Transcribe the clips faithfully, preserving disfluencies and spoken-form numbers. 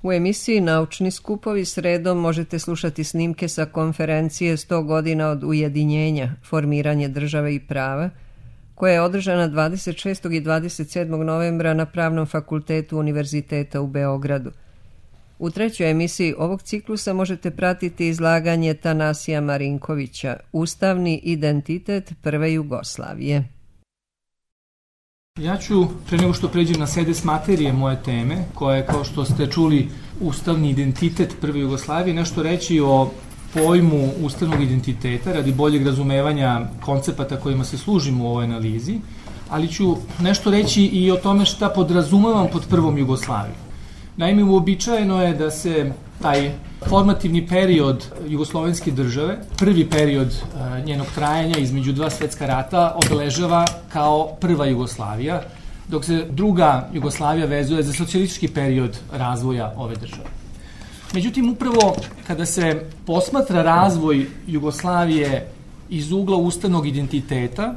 U emisiji Naučni skupovi sredom možete slušati snimke sa konferencije sto godina od ujedinjenja, formiranje države i prava, koja je održana dvadeset šestog i dvadeset sedmog novembra na Pravnom fakultetu Univerziteta u Beogradu. U trećoj emisiji ovog ciklusa možete pratiti izlaganje Tanasija Marinkovića, Ustavni identitet prve Jugoslavije. Ja ću, pre nego što pređem na sedes materije moje teme, koja je, kao što ste čuli, ustavni identitet prve Jugoslavije, nešto reći o pojmu ustavnog identiteta radi boljeg razumevanja koncepata kojima se služimo u ovoj analizi, ali ću nešto reći i o tome šta podrazumevam pod prvom Jugoslavijom. Naime, uobičajeno je da se taj formativni period jugoslovenske države, prvi period njenog trajanja između dva svetska rata, obeležava kao prva Jugoslavija, dok se druga Jugoslavija vezuje za socijalistički period razvoja ove države. Međutim, upravo kada se posmatra razvoj Jugoslavije iz ugla ustavnog identiteta,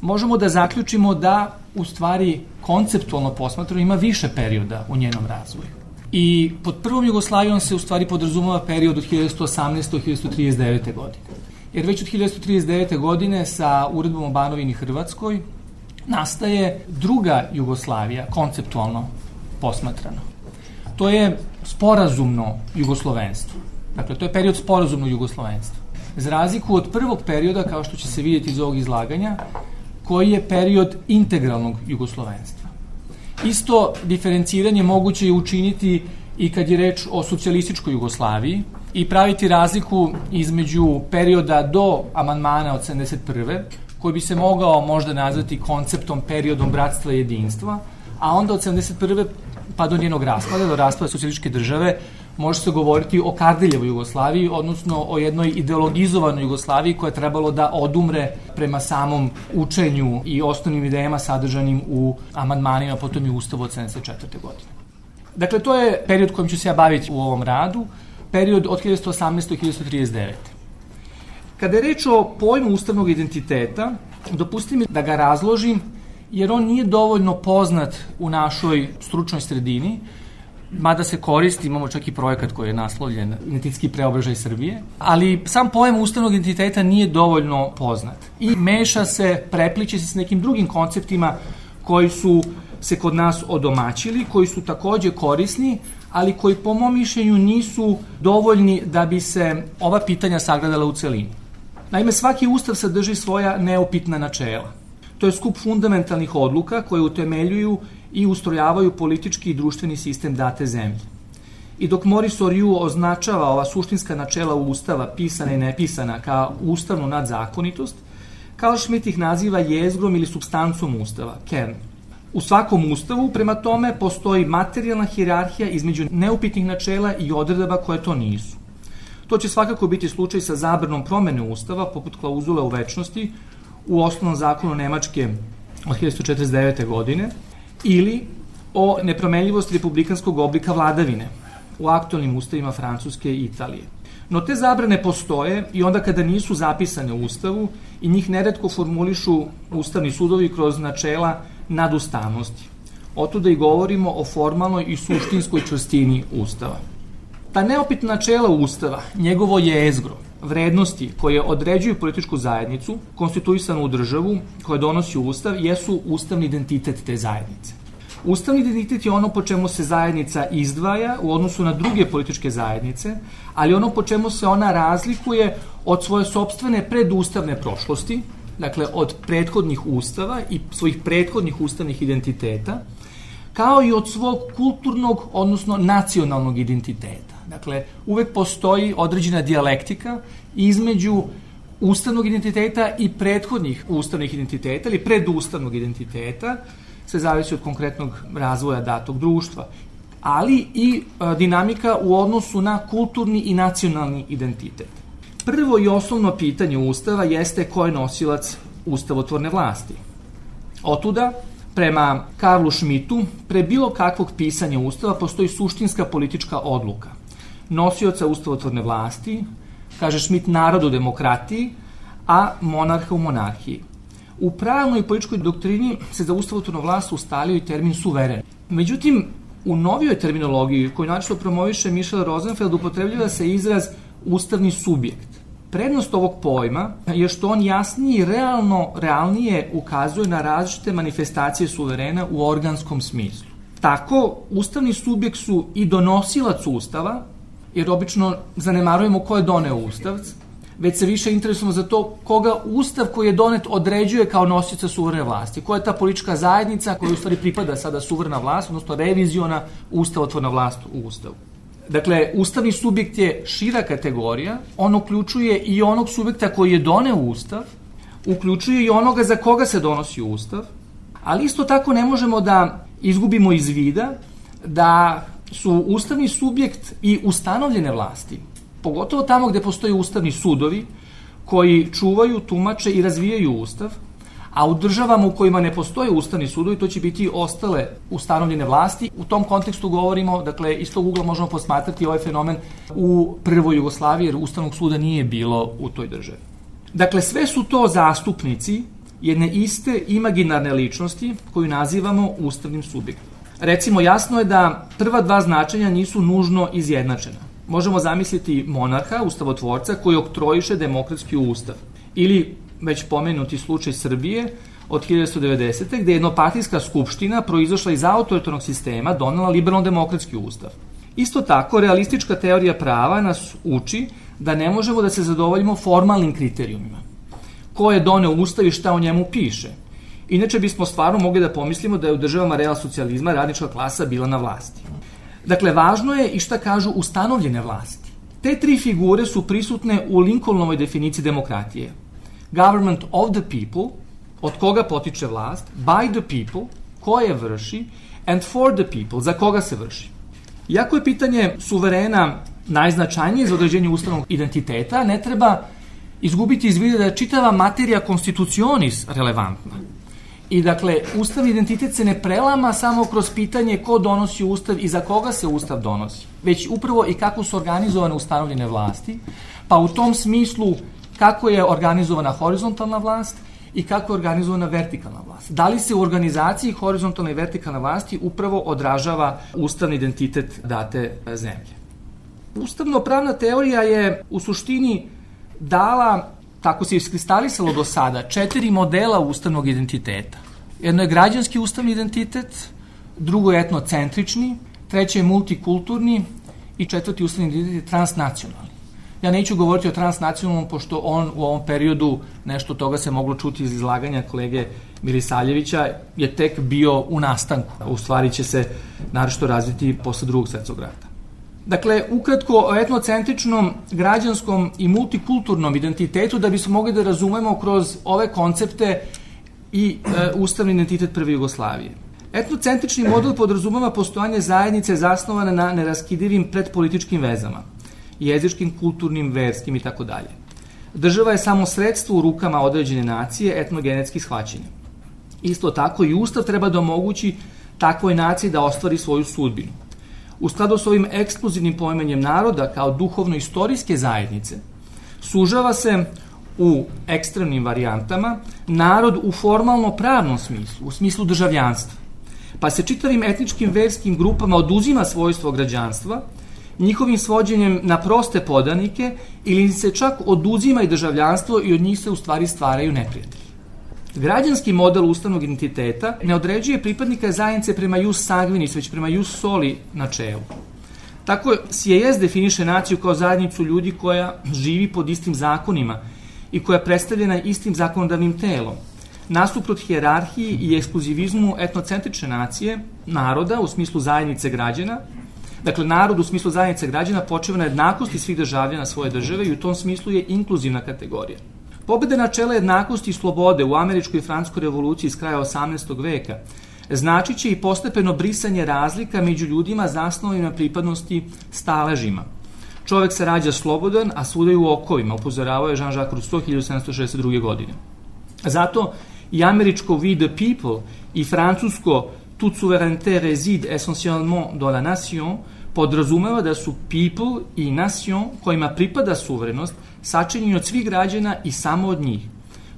možemo da zaključimo da, u stvari, konceptualno posmatrano ima više perioda u njenom razvoju. I pod prvom Jugoslavijom se u stvari podrazumeva period od hiljadu sto osamnaeste do hiljadu sto trideset devete. godine. Jer već od hiljadu sto trideset devete. godine sa uredbom o Banovini Hrvatskoj nastaje druga Jugoslavija, konceptualno posmatrano. To je sporazumno jugoslovenstvo. Dakle, to je period sporazumnog jugoslovenstva. Za razliku od prvog perioda, kao što će se vidjeti iz ovog izlaganja, koji je period integralnog jugoslovenstva. Isto diferenciranje moguće je učiniti i kad je reč o socijalističkoj Jugoslaviji i praviti razliku između perioda do amandmana od sedamdeset prve. koji bi se mogao možda nazvati konceptom periodom bratstva i jedinstva, a onda od sedamdeset prve pa do njenog raspada, do raspada socijalističke države, može se govoriti o Kardeljevoj Jugoslaviji, odnosno o jednoj ideologizovanoj Jugoslaviji koja je trebalo da odumre prema samom učenju i osnovnim idejama sadržanim u amandmanima, potom i Ustavu od sedamdeset četvrte. godine. Dakle, to je period kojim ću se ja baviti u ovom radu, period od hiljadu sto osamnaeste. do hiljadu sto trideset devete. Kada je reč o pojmu ustavnog identiteta, dopustite mi da ga razložim, jer on nije dovoljno poznat u našoj stručnoj sredini, mada se koristi, imamo čak i projekat koji je naslovljen Identitetski preobražaj Srbije, ali sam pojam ustavnog identiteta nije dovoljno poznat i meša se, prepliče se s nekim drugim konceptima koji su se kod nas odomaćili, koji su takođe korisni, ali koji po mom mišljenju nisu dovoljni da bi se ova pitanja sagledala u celini. Naime, svaki ustav sadrži svoja neupitna načela. To je skup fundamentalnih odluka koje utemeljuju i ustrojavaju politički i društveni sistem date zemlje. I dok Maurice Horiot označava ova suštinska načela Ustava, pisana i nepisana, kao ustavnu nadzakonitost, Carl Schmitt ih naziva jezgrom ili supstancom Ustava, kern. U svakom ustavu, prema tome, postoji materijalna hijerarhija između neupitnih načela i odredaba koje to nisu. To će svakako biti slučaj sa zabranom promene Ustava, poput klauzule o večnosti, u osnovnom zakonu Nemačke od hiljadu sto četrdeset devete. godine, ili o nepromenljivosti republikanskog oblika vladavine u aktualnim ustavima Francuske i Italije. No te zabrane postoje i onda kada nisu zapisane u Ustavu i njih neretko formulišu ustavni sudovi kroz načela nadustavnosti. Otuda i govorimo o formalnoj i suštinskoj čvrstini Ustava. Ta neopitna načela Ustava, njegovo jezgro, vrednosti koje određuju političku zajednicu, konstituisanu u državu, koje donosi Ustav, jesu ustavni identitet te zajednice. Ustavni identitet je ono po čemu se zajednica izdvaja u odnosu na druge političke zajednice, ali ono po čemu se ona razlikuje od svoje sopstvene predustavne prošlosti, dakle od prethodnih ustava i svojih prethodnih ustavnih identiteta, kao i od svog kulturnog, odnosno nacionalnog identiteta. Dakle, uvek postoji određena dijalektika između ustavnog identiteta i prethodnih ustavnih identiteta ili predustavnog identiteta, sve zavisi od konkretnog razvoja datog društva, ali i a, dinamika u odnosu na kulturni i nacionalni identitet. Prvo i osnovno pitanje Ustava jeste ko je nosilac ustavotvorne vlasti. Otuda, prema Karlu Schmittu, pre bilo kakvog pisanja Ustava postoji suštinska politička odluka. Nosioca ustavotvorne vlasti, kaže Schmitt, narod u demokratiji, a monarha u monarhiji. U pravnoj i političkoj doktrini se za ustavotvornu vlast ustalio i termin suveren. Međutim, U novijoj terminologiji koju način promoviše Michel Rosenfeld upotrebljava se izraz ustavni subjekt. Prednost ovog pojma je što on jasnije i realno, realnije ukazuje na različite manifestacije suverena u organskom smislu. Tako, ustavni subjekt su i donosilac ustava, jer obično zanemarujemo ko je doneo ustav, već se više interesujemo za to koga ustav koji je donet određuje kao nosioca suverene vlasti. Koja je ta politička zajednica koja u stvari pripada sada suverena vlast, odnosno reviziona ustavotvorna vlast u ustavu. Dakle, ustavni subjekt je šira kategorija, on uključuje i onog subjekta koji je doneo ustav, uključuje i onoga za koga se donosi ustav, ali isto tako ne možemo da izgubimo iz vida da su ustavni subjekt i ustanovljene vlasti, pogotovo tamo gde postoje ustavni sudovi koji čuvaju, tumače i razvijaju ustav, a u državama u kojima ne postoje ustavni sudovi, to će biti ostale ustanovljene vlasti. U tom kontekstu govorimo, dakle, iz tog ugla možemo posmatrati ovaj fenomen u prvoj Jugoslaviji, jer ustavnog suda nije bilo u toj državi. Dakle, sve su to zastupnici jedne iste imaginarne ličnosti koju nazivamo ustavnim subjektom. Recimo, jasno je da prva dva značenja nisu nužno izjednačena. Možemo zamisliti monarha, ustavotvorca, koji oktrojiše demokratski ustav. Ili već pomenuti slučaj Srbije od hiljadu devetsto devedesete. gde je jednopartijska skupština proizašla iz autoritarnog sistema donela liberalno-demokratski ustav. Isto tako, realistička teorija prava nas uči da ne možemo da se zadovoljimo formalnim kriterijumima. Ko je doneo ustav i šta o njemu piše. Inače bismo stvarno mogli da pomislimo da je u državama real socijalizma radnička klasa bila na vlasti. Dakle, važno je i šta kažu ustanovljene vlasti. Te tri figure su prisutne u Lincolnovoj definiciji demokratije. Government of the people, od koga potiče vlast, by the people, ko je vrši, and for the people, za koga se vrši. Iako je pitanje suverena najznačajnije za određenje ustavnog identiteta, ne treba izgubiti iz vida da je čitava materija constitutionis relevantna. I dakle, ustavni identitet se ne prelama samo kroz pitanje ko donosi ustav i za koga se ustav donosi, već upravo i kako su organizovane ustanovljene vlasti, pa u tom smislu kako je organizovana horizontalna vlast i kako je organizovana vertikalna vlast. Da li se u organizaciji horizontalne i vertikalne vlasti upravo odražava ustavni identitet date zemlje. Ustavno-pravna teorija je u suštini dala, tako se iskristalisalo do sada, četiri modela ustavnog identiteta. Jedno je građanski ustavni identitet, drugo je etnocentrični, treći je multikulturni i četvrti ustavni identitet je transnacionalni. Ja neću govoriti o transnacionalnom, pošto on u ovom periodu, nešto toga se moglo čuti iz izlaganja kolege Milisavljevića, je tek bio u nastanku. U stvari će se naročito razviti posle drugog svetskog rata. Dakle, ukratko o etnocentričnom, građanskom i multikulturnom identitetu da bismo mogli da razumemo kroz ove koncepte i e, ustavni identitet prve Jugoslavije. Etnocentrični model podrazumeva postojanje zajednice zasnovane na neraskidivim predpolitičkim vezama, jezičkim, kulturnim, verskim i tako dalje. Država je samo sredstvo u rukama određene nacije etnogenetskih shvaćanja. Isto tako i ustav treba da omogući takvoj naciji da ostvari svoju sudbinu. U skladu s ovim ekskluzivnim poimanjem naroda kao duhovno-istorijske zajednice, sužava se u ekstremnim varijantama narod u formalno-pravnom smislu, u smislu državljanstva. Pa se čitavim etničkim verskim grupama oduzima svojstvo građanstva, njihovim svođenjem na proste podanike ili se čak oduzima i državljanstvo i od njih se u stvari stvaraju neprijatelji. Građanski model ustavnog identiteta ne određuje pripadnika zajednice prema jus sanguinis, već prema jus soli načelu. Tako S J S definiše naciju kao zajednicu ljudi koja živi pod istim zakonima i koja je predstavljena istim zakonodavnim telom. Nasuprot hijerarhiji i ekskluzivizmu etnocentrične nacije, naroda u smislu zajednice građana, dakle, narod u smislu zajednice građana počeva na jednakosti svih državljana svoje države i u tom smislu je inkluzivna kategorija. Pobeda načela jednakosti i slobode u američkoj i francuskoj revoluciji iz kraja osamnaestog veka značit će i postepeno brisanje razlika među ljudima zasnovanim na pripadnosti staležima. Čovek se rađa slobodan, a svuda u okovima, upozoravao je Jean-Jacques Rousseau hiljadu sedamsto šezdeset druge. godine. Zato i američko we the people i francusko toute souveraineté réside essentiellement dans la nation podrazumeva da su people i nation kojima pripada suverenost sačinjeni od svih građana i samo od njih.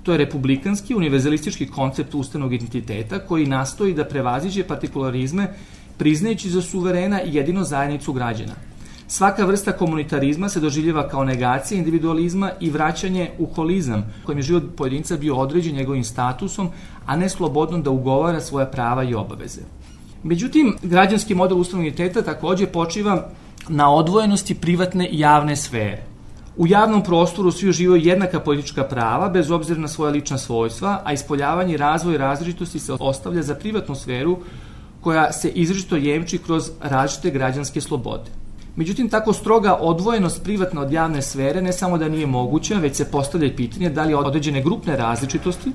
To je republikanski, univerzalistički koncept ustavnog identiteta koji nastoji da prevaziđe partikularizme priznajući za suverena jedino zajednicu građana. Svaka vrsta komunitarizma se doživljava kao negacija individualizma i vraćanje u holizam, kojim je život pojedinca bio određen njegovim statusom, a ne slobodno da ugovara svoja prava i obaveze. Međutim, građanski model ustavnog identiteta takođe počiva na odvojenosti privatne i javne sfere. U javnom prostoru svi uživaju jednaka politička prava, bez obzira na svoja lična svojstva, a ispoljavanje i razvoj različitosti se ostavlja za privatnu sferu koja se izričito jemči kroz različite građanske slobode. Međutim, tako stroga odvojenost privatne od javne sfere ne samo da nije moguća, već se postavlja pitanje da li određene grupne različitosti,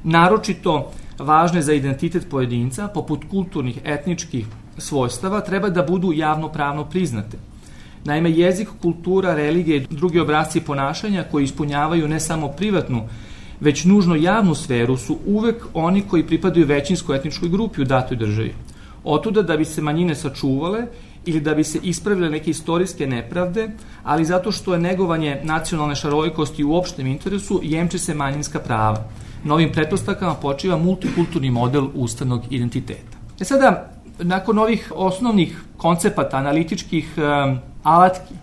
naročito važne za identitet pojedinca, poput kulturnih, etničkih svojstava, treba da budu javno-pravno priznate. Naime, jezik, kultura, religija i drugi obrasci ponašanja koji ispunjavaju ne samo privatnu, već nužno javnu sferu su uvek oni koji pripadaju većinskoj etničkoj grupi u datoj državi. Otuda da bi se manjine sačuvale ili da bi se ispravile neke istorijske nepravde, ali zato što je negovanje nacionalne šarolikosti u opštem interesu, jemče se manjinska prava. Na ovim pretpostavkama počiva multikulturni model ustavnog identiteta. E sada, nakon ovih osnovnih koncepata, analitičkih um, alatki,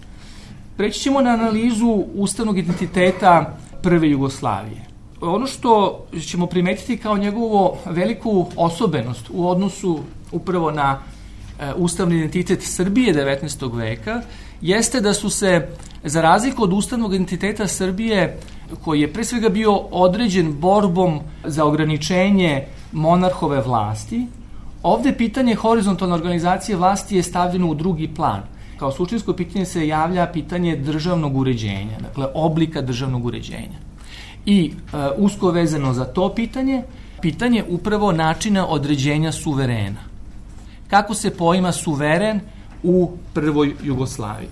preći ćemo na analizu ustavnog identiteta prve Jugoslavije. Ono što ćemo primetiti kao njegovu veliku osobenost u odnosu upravo na e, ustavni identitet Srbije devetnaestog veka, jeste da su se, za razliku od ustavnog identiteta Srbije, koji je pre svega bio određen borbom za ograničenje monarhove vlasti, ovde pitanje horizontalne organizacije vlasti je stavljeno u drugi plan. Kao suštinsko pitanje se javlja pitanje državnog uređenja, dakle oblika državnog uređenja. I e, usko vezano za to pitanje, pitanje upravo načina određenja suverena. Kako se poima suveren u prvoj Jugoslaviji?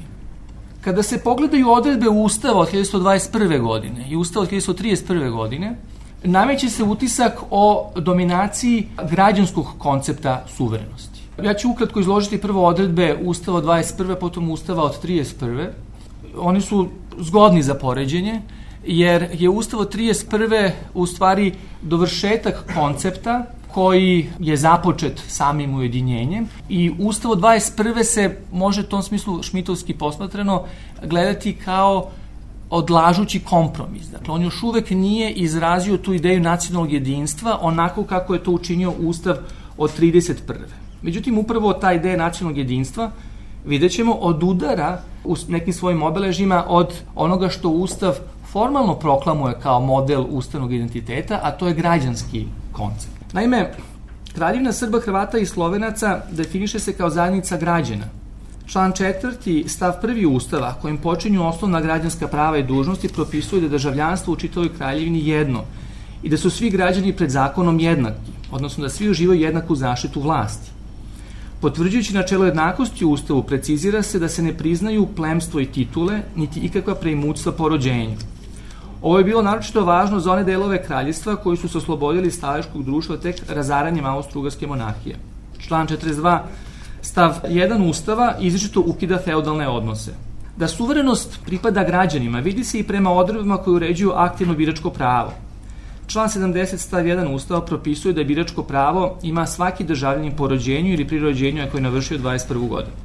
Kada se pogledaju odredbe Ustava od hiljadu devetsto dvadeset prve. godine i Ustava od hiljadu devetsto trideset prve. godine, nameće se utisak o dominaciji građanskog koncepta suverenosti. Ja ću ukratko izložiti prvo odredbe Ustava od dvadeset prve. potom Ustava od trideset prve. Oni su zgodni za poređenje, jer je Ustav od trideset prve. u stvari dovršetak koncepta koji je započet samim ujedinjenjem i Ustav od dvadeset prve. se može u tom smislu šmitovski posmatrano gledati kao odlažući kompromis. Dakle, on još uvek nije izrazio tu ideju nacionalnog jedinstva onako kako je to učinio Ustav od trideset prve. Međutim, upravo ta ideja nacionalnog jedinstva, vidjet ćemo, od udara u nekim svojim obeležima od onoga što Ustav formalno proklamuje kao model ustavnog identiteta, a to je građanski koncept. Naime, Kraljevina Srba, Hrvata i Slovenaca definiše se kao zajednica građana. Član četvrti, stav prvi Ustava, kojim počinju osnovna građanska prava i dužnosti, propisuje da je državljanstvo u čitavoj kraljevini jedno i da su svi građani pred zakonom jednaki, odnosno da svi uživaju jednaku zaštitu vlasti. Potvrđujući načelo jednakosti u Ustavu, precizira se da se ne priznaju plemstvo i titule, niti ikakva preimućstva po rođenju. Ovo je bilo naročito važno za one delove kraljevstva koji su se oslobodili staleškog društva tek razaranjem Austro-Ugarske monarhije. Član četrdeset dva, stav jedan Ustava izričito ukida feudalne odnose. Da suverenost pripada građanima vidi se i prema odredbama koje uređuju aktivno biračko pravo. Član sedamdeset stav jedan Ustava propisuje da biračko pravo ima svaki državljanin po rođenju ili pri rođenju ako je navršio dvadeset prvu godinu.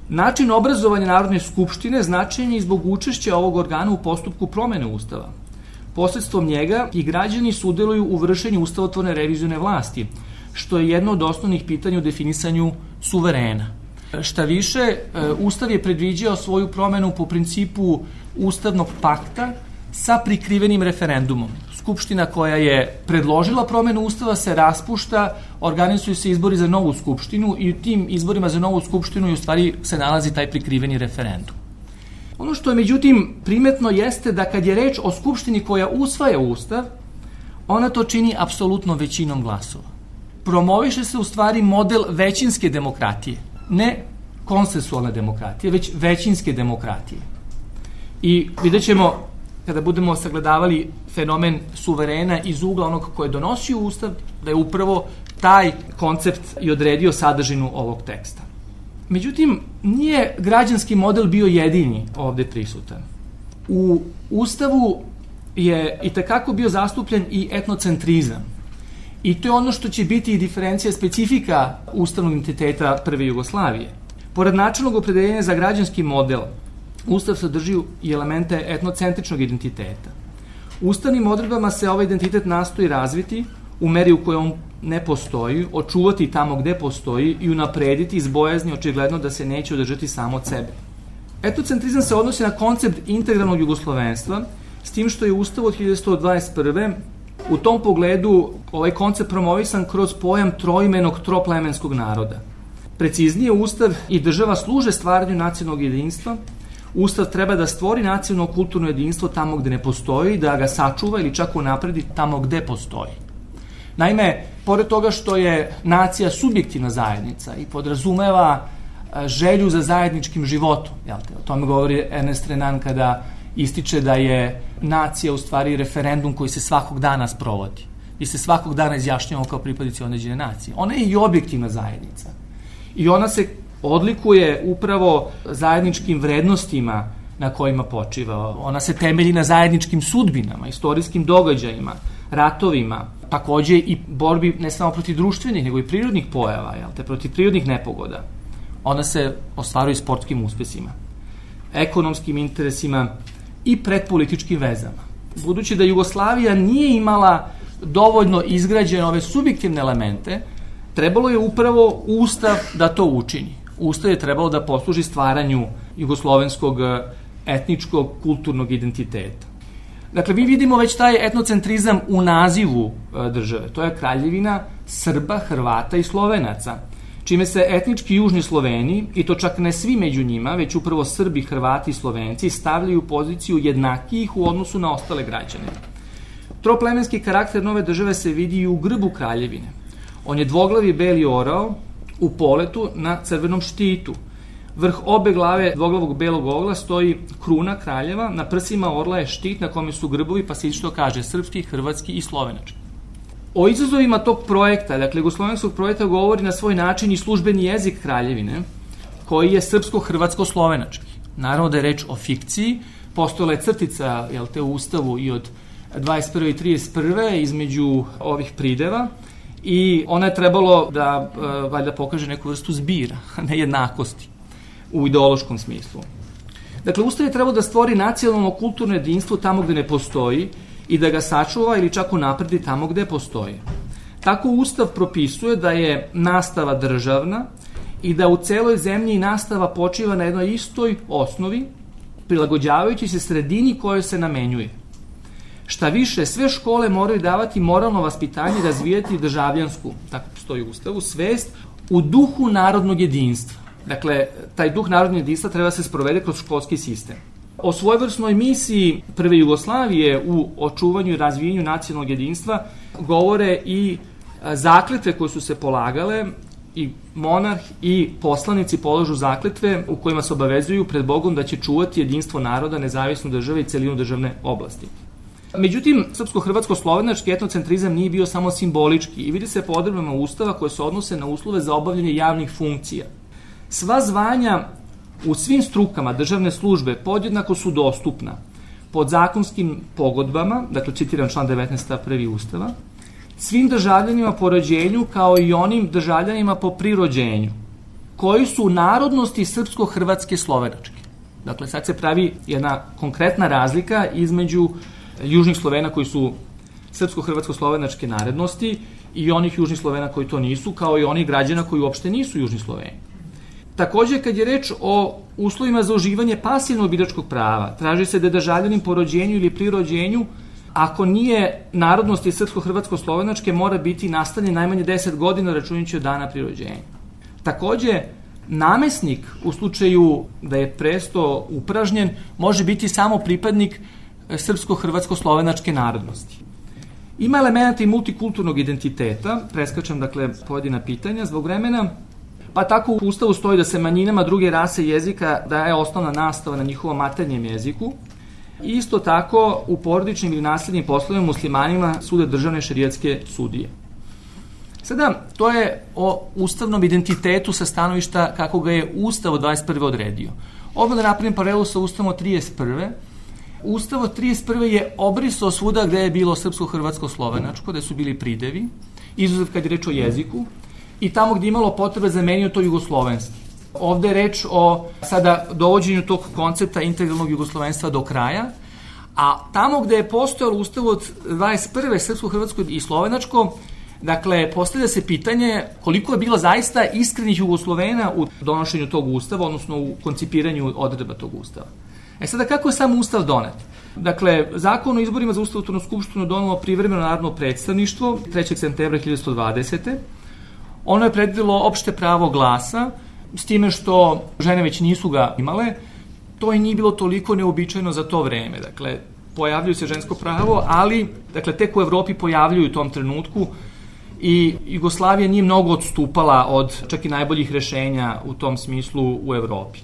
Način obrazovanja Narodne skupštine značajan je i zbog učešća ovog organa u postupku promene Ustava. Posredstvom njega i građani sudjeluju u vršenju ustavotvorne revizione vlasti, što je jedno od osnovnih pitanja u definisanju suverena. Šta više, Ustav je predviđao svoju promenu po principu ustavnog pakta sa prikrivenim referendumom. Skupština koja je predložila promenu Ustava se raspušta, organizuju se izbori za novu skupštinu i u tim izborima za novu skupštinu u stvari se nalazi taj prikriveni referendum. Ono što je međutim primetno jeste da kad je reč o skupštini koja usvaja Ustav, ona to čini apsolutno većinom glasova. Promoviše se u stvari model većinske demokratije, ne konsensualne demokratije, već većinske demokratije. I vidjet ćemo, kada budemo sagledavali fenomen suverena iz ugla onog koje je donosio Ustav, da je upravo taj koncept i odredio sadržinu ovog teksta. Međutim, nije građanski model bio jedini ovde prisutan. U Ustavu je itekako bio zastupljen i etnocentrizam. I to je ono što će biti i diferencija specifika ustavnog identiteta prve Jugoslavije. Pored načelnog opredeljenja za građanski model, Ustav sadrži i elemente etnocentričnog identiteta. Ustavnim odredbama se ovaj identitet nastoji razviti u meri u kojoj on ne postoji, očuvati tamo gde postoji i unaprediti iz bojazni očigledno da se neće održati samo od sebe. Etnocentrizam se odnosi na koncept integralnog jugoslovenstva, s tim što je Ustav od hiljadu devetsto dvadeset prve u tom pogledu ovaj koncept promovisan kroz pojam troimenog troplemenskog naroda. Preciznije, Ustav i država služe stvaranju nacionalnog jedinstva. Ustav treba da stvori nacionalno kulturno jedinstvo tamo gde ne postoji, da ga sačuva ili čak unapredi tamo gde postoji. Naime, pored toga što je nacija subjektivna zajednica i podrazumeva želju za zajedničkim životom, jel te? O tome govori Ernest Renan kada ističe da je nacija u stvari referendum koji se svakog dana sprovodi. Mi se svakog dana izjašnjavamo kao pripadnici određene nacije. Ona je i objektivna zajednica. I ona se odlikuje upravo zajedničkim vrednostima na kojima počiva. Ona se temelji na zajedničkim sudbinama, istorijskim događajima, ratovima, takođe i borbi ne samo protiv društvenih, nego i prirodnih pojava, jel te, protiv prirodnih nepogoda. Ona se ostvaruje sportskim uspesima, ekonomskim interesima i predpolitičkim vezama. Budući da Jugoslavija nije imala dovoljno izgrađene ove subjektivne elemente, trebalo je upravo Ustav da to učini. Ustav je trebalo da posluži stvaranju jugoslovenskog etničkog, kulturnog identiteta. Dakle, mi vidimo već taj etnocentrizam u nazivu države. To je Kraljevina Srba, Hrvata i Slovenaca, čime se etnički južni Sloveni, i to čak ne svi među njima, već upravo Srbi, Hrvati i Slovenci, stavljaju u poziciju jednakijih u odnosu na ostale građane. Troplemenski karakter nove države se vidi i u grbu Kraljevine. On je dvoglavi beli orao u poletu na crvenom štitu. Vrh obe glave dvoglavog belog ogla stoji kruna kraljeva, na prsima orla je štit na kome su grbovi, pa se isto kaže srpski, hrvatski i slovenački. O izazovima tog projekta, dakle jugoslovenskog projekta, govori na svoj način i službeni jezik Kraljevine, koji je srpsko-hrvatsko-slovenački. Naravno da je reč o fikciji, postojala je crtica, jel te, u Ustavu i od dvadeset prve i trideset prve između ovih prideva, i ona je trebalo da e, valjda pokaže neku vrstu zbira, nejednakosti u ideološkom smislu. Dakle, Ustav je trebalo da stvori nacionalno kulturno jedinstvo tamo gde ne postoji i da ga sačuva ili čak unapredi tamo gde postoji. Tako Ustav propisuje da je nastava državna i da u celoj zemlji nastava počiva na jednoj istoj osnovi, prilagođavajući se sredini kojoj se namenjuje. Šta više, sve škole moraju davati moralno vaspitanje i razvijati državljansku, tako stoji u Ustavu, svest u duhu narodnog jedinstva. Dakle, taj duh narodnog jedinstva treba se sprovede kroz školski sistem. O svojevrsnoj misiji prve Jugoslavije u očuvanju i razvijenju nacionalnog jedinstva govore i zakletve koje su se polagale, i monarh i poslanici polažu zakletve u kojima se obavezuju pred Bogom da će čuvati jedinstvo naroda, nezavisnu države i celinu državne oblasti. Međutim, srpsko-hrvatsko-slovenački etnocentrizam nije bio samo simbolički i vidi se po odredbama Ustava koje se odnose na uslove za obavljanje javnih funkcija. Sva zvanja u svim strukama državne službe podjednako su dostupna pod zakonskim pogodbama, dakle citiram član devetnaest stav prvi Ustava, svim državljanima po rođenju kao i onim državljanima po prirođenju, koji su narodnosti srpsko-hrvatske slovenačke. Dakle, sad se pravi jedna konkretna razlika između južnih Slovena koji su srpsko-hrvatsko-slovenačke narodnosti i onih južnih Slovena koji to nisu, kao i onih građana koji uopšte nisu južni Sloveni. Takođe, kad je reč o uslovima za uživanje pasivnog biračkog prava, traži se da je državljanin po rođenju ili pri rođenju, ako nije narodnosti srpsko-hrvatsko-slovenačke, mora biti nastanjen najmanje deset godina računajući od dana pri rođenju. Takođe, namesnik u slučaju da je presto upražnjen može biti samo pripadnik srpsko-hrvatsko-slovenačke narodnosti. Ima elementa i multikulturnog identiteta, preskačem dakle pojedina pitanja zbog vremena, pa tako u Ustavu stoji da se manjinama druge rase jezika daje osnovna nastava na njihovom maternjem jeziku. Isto tako u porodičnim ili nasljednim poslovima muslimanima sude državne šerijatske sudije. Sada, to je o ustavnom identitetu sa stanovišta kako ga je Ustav od dvadeset prve odredio. Ovo da napravim paralelu sa Ustavom od trideset prve Ustav od trideset prve je obrisao svuda gde je bilo srpsko-hrvatsko-slovenačko, gde su bili pridevi, izuzev kad je reč o jeziku, i tamo gdje je imalo potrebe zamenio to jugoslovenski. Ovde je reč o sada dovođenju tog koncepta integralnog jugoslovenstva do kraja, a tamo gde je postojalo Ustav od dvadeset prve srpsko, hrvatsko i slovenačko, dakle, postavlja se pitanje koliko je bilo zaista iskrenih Jugoslovena u donošenju tog Ustava, odnosno u koncipiranju odredba tog Ustava. E sada, kako je sam Ustav donet? Dakle, Zakon o izborima za Ustavotvornu skupštinu donelo privremeno narodno predstavništvo trećeg septembra hiljadu devetsto dvadesete. Ono je predvidelo opšte pravo glasa, s time što žene već nisu ga imale. To i nije bilo toliko neobičajno za to vreme. Dakle, pojavljuju se žensko pravo, ali dakle, tek u Evropi pojavljuju u tom trenutku i Jugoslavija nije mnogo odstupala od čak i najboljih rešenja u tom smislu u Evropi.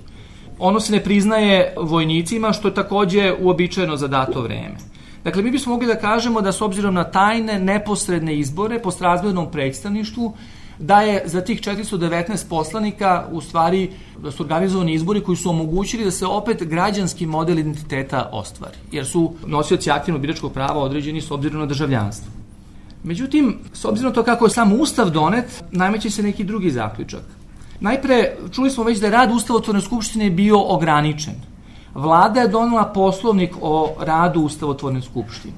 Ono se ne priznaje vojnicima, što je takođe uobičajeno za dato vreme. Dakle, mi bismo mogli da kažemo da s obzirom na tajne, neposredne izbore po srazmjernom predstavništvu, da je za tih četiristo devetnaest poslanika u stvari da su organizovani izbori koji su omogućili da se opet građanski model identiteta ostvari, jer su nosioci aktivnog biračkog prava određeni s obzirom na državljanstvo. Međutim, s obzirom na to kako je sam Ustav donet, nameće se neki drugi zaključak. Najpre, čuli smo već da je rad Ustavotvorne skupštine bio ograničen. Vlada je donela poslovnik o radu Ustavotvorne skupštine.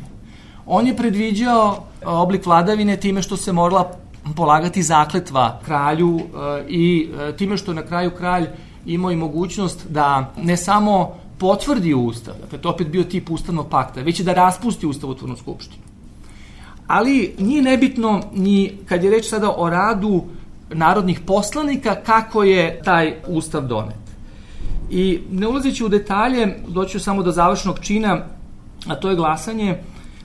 On je predviđao oblik vladavine time što se morala polagati zakletva kralju i time što na kraju kralj imao i mogućnost da ne samo potvrdi Ustav, dakle to opet bio tip ustavnog pakta, već i da raspusti Ustavotvornu skupštinu. Ali nije nebitno ni kad je reč sada o radu narodnih poslanika kako je taj Ustav donet. I ne ulazeći u detalje, doću samo do završnog čina, a to je glasanje.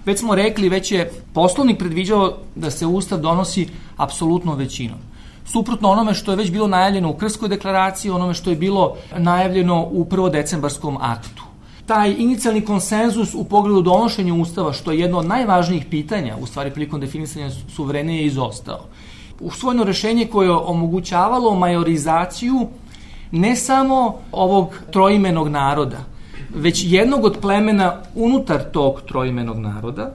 Već smo rekli, već je poslovnik predviđao da se Ustav donosi apsolutnom većinom. Suprotno onome što je već bilo najavljeno u Krskoj deklaraciji, onome što je bilo najavljeno u prvodecembarskom aktu. Taj inicijalni konsenzus u pogledu donošenja Ustava, što je jedno od najvažnijih pitanja, u stvari prilikom definisanja suverenije, je izostao. Usvojeno rešenje koje je omogućavalo majorizaciju ne samo ovog troimenog naroda, već jednog od plemena unutar tog troimenog naroda,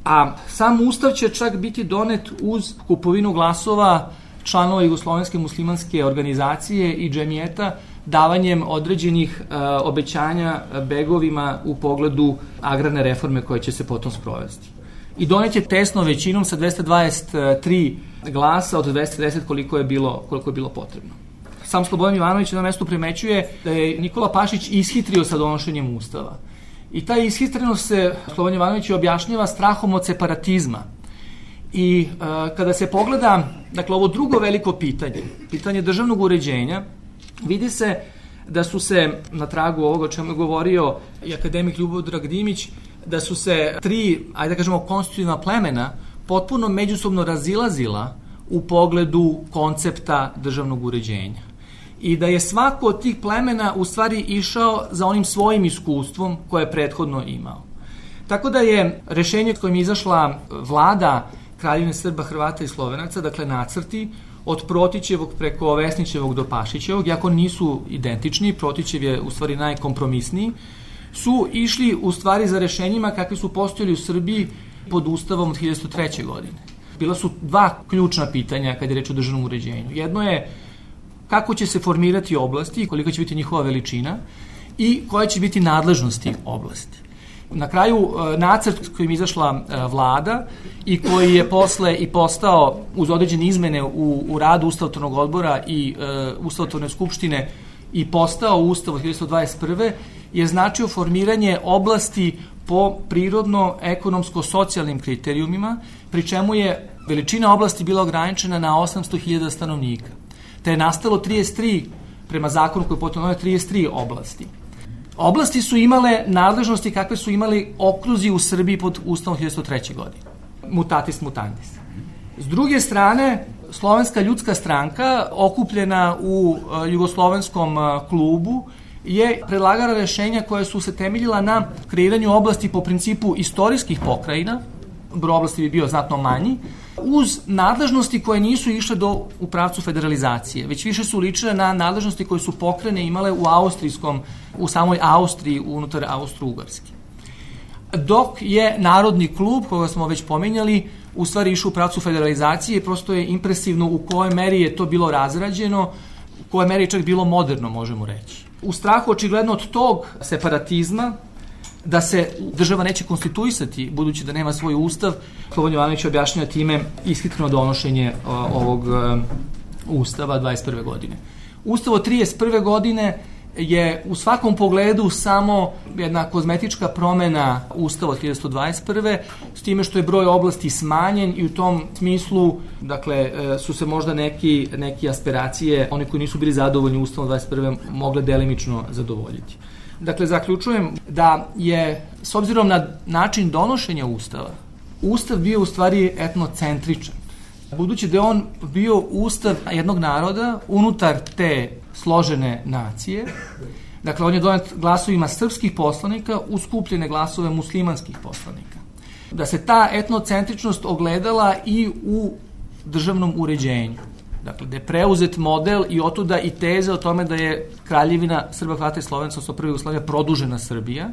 a sam Ustav će čak biti donet uz kupovinu glasova članova Jugoslovenske muslimanske organizacije i džemijeta, davanjem određenih e, obećanja begovima u pogledu agrarne reforme koje će se potom sprovesti. I donet je tesno većinom sa dvesta dvadeset tri glasa od dvesta deset koliko je bilo, koliko je bilo potrebno. Sam Slobodan Jovanović na mestu primećuje da je Nikola Pašić ishitrio sa donošenjem Ustava. I ta ishitrenost se Slobodan Jovanović objašnjava strahom od separatizma. I e, kada se pogleda, dakle, ovo drugo veliko pitanje, pitanje državnog uređenja, vidi se da su se, na tragu ovoga o čemu je govorio i akademik Ljubodrag Dimić, da su se tri, ajde da kažemo, konstitutivna plemena potpuno međusobno razilazila u pogledu koncepta državnog uređenja. I da je svako od tih plemena u stvari išao za onim svojim iskustvom koje je prethodno imao. Tako da je rešenje kojim je izašla vlada Kraljevine Srba, Hrvata i Slovenaca, dakle nacrti, od Protićevog preko Vesnićevog do Pašićevog, iako nisu identični, Protićev je u stvari najkompromisniji, su išli u stvari za rešenjima kakvi su postojali u Srbiji pod Ustavom od hiljadu devetsto treće. godine. Bila su dva ključna pitanja kad je reč o državnom uređenju. Jedno je kako će se formirati oblasti, kolika će biti njihova veličina i koje će biti nadležnosti oblasti. Na kraju, nacrt kojim je izašla vlada i koji je posle i postao uz određene izmene u, u radu Ustavotvornog odbora i e, Ustavotvorne skupštine i postao Ustav od hiljadu devetsto dvadeset prve. je značio formiranje oblasti po prirodno-ekonomsko-socijalnim kriterijumima, pri čemu je veličina oblasti bila ograničena na osamsto hiljada stanovnika. Te je nastalo trideset tri, prema zakonu koji je potom doneo, trideset tri oblasti. Oblasti su imale nadležnosti kakve su imali okruzi u Srbiji pod Ustavom hiljadu devetsto treće. godine. Mutatis mutandis. S druge strane, Slovenska ljudska stranka, okupljena u jugoslovenskom klubu, je predlagala rešenja koja su se temeljila na kreiranju oblasti po principu istorijskih pokrajina, broj oblasti bi bio znatno manji, uz nadležnosti koje nisu išle do, u pravcu federalizacije, već više su ličile na nadležnosti koje su pokrajine imale u austrijskom, u samoj Austriji, unutar Austro-Ugarske. Dok je Narodni klub, koga smo već pominjali, u stvari išao u pravcu federalizacije, prosto je impresivno u kojoj meri je to bilo razrađeno, u kojoj meri je čak bilo moderno, možemo reći. U strahu očigledno od tog separatizma, da se država neće konstituisati, budući da nema svoj ustav, Slobodan Jovanović objašnjava time ishitreno donošenje ovog ustava dvadeset prve godine. Ustav od trideset prve godine je u svakom pogledu samo jedna kozmetička promena ustava od hiljadu dvadeset prve s time što je broj oblasti smanjen i u tom smislu, dakle, su se možda neki, neki aspiracije, oni koji nisu bili zadovoljni ustavom dvadeset prve mogle delimično zadovoljiti. Dakle, zaključujem da je, s obzirom na način donošenja ustava, ustav bio u stvari etnocentričan. Budući da je on bio ustav jednog naroda unutar te složene nacije, dakle, on je donet glasovima srpskih poslanika uz skupljene glasove muslimanskih poslanika. Da se ta etnocentričnost ogledala i u državnom uređenju. Dakle, da je preuzet model i otuda i teza o tome da je kraljevina Srba, Hrvata i Slovenaca, odnosno prva Jugoslavija, produžena Srbija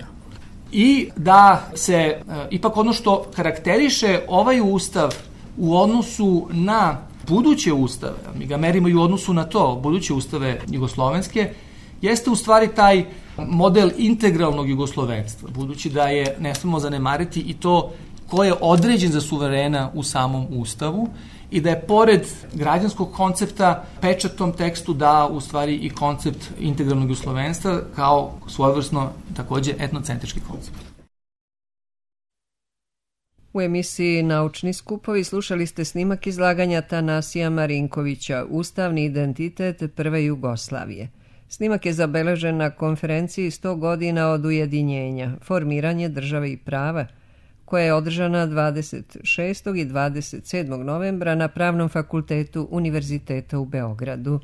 i da se e, ipak ono što karakteriše ovaj ustav u odnosu na buduće ustave, mi ga merimo i u odnosu na to, buduće ustave jugoslovenske, jeste u stvari taj model integralnog jugoslovenstva, budući da je, ne smemo zanemariti, i to ko je određen za suverena u samom ustavu i da je pored građanskog koncepta pečatom tekstu dao u stvari i koncept integralnog jugoslovenstva kao svojevrsno takođe etnocentrički koncept. U emisiji Naučni skupovi slušali ste snimak izlaganja Tanasija Marinkovića Ustavni identitet prve Jugoslavije. Snimak je zabeležen na konferenciji sto godina od ujedinjenja, formiranje države i prava, koja je održana dvadeset šestog i dvadeset sedmog novembra na Pravnom fakultetu Univerziteta u Beogradu.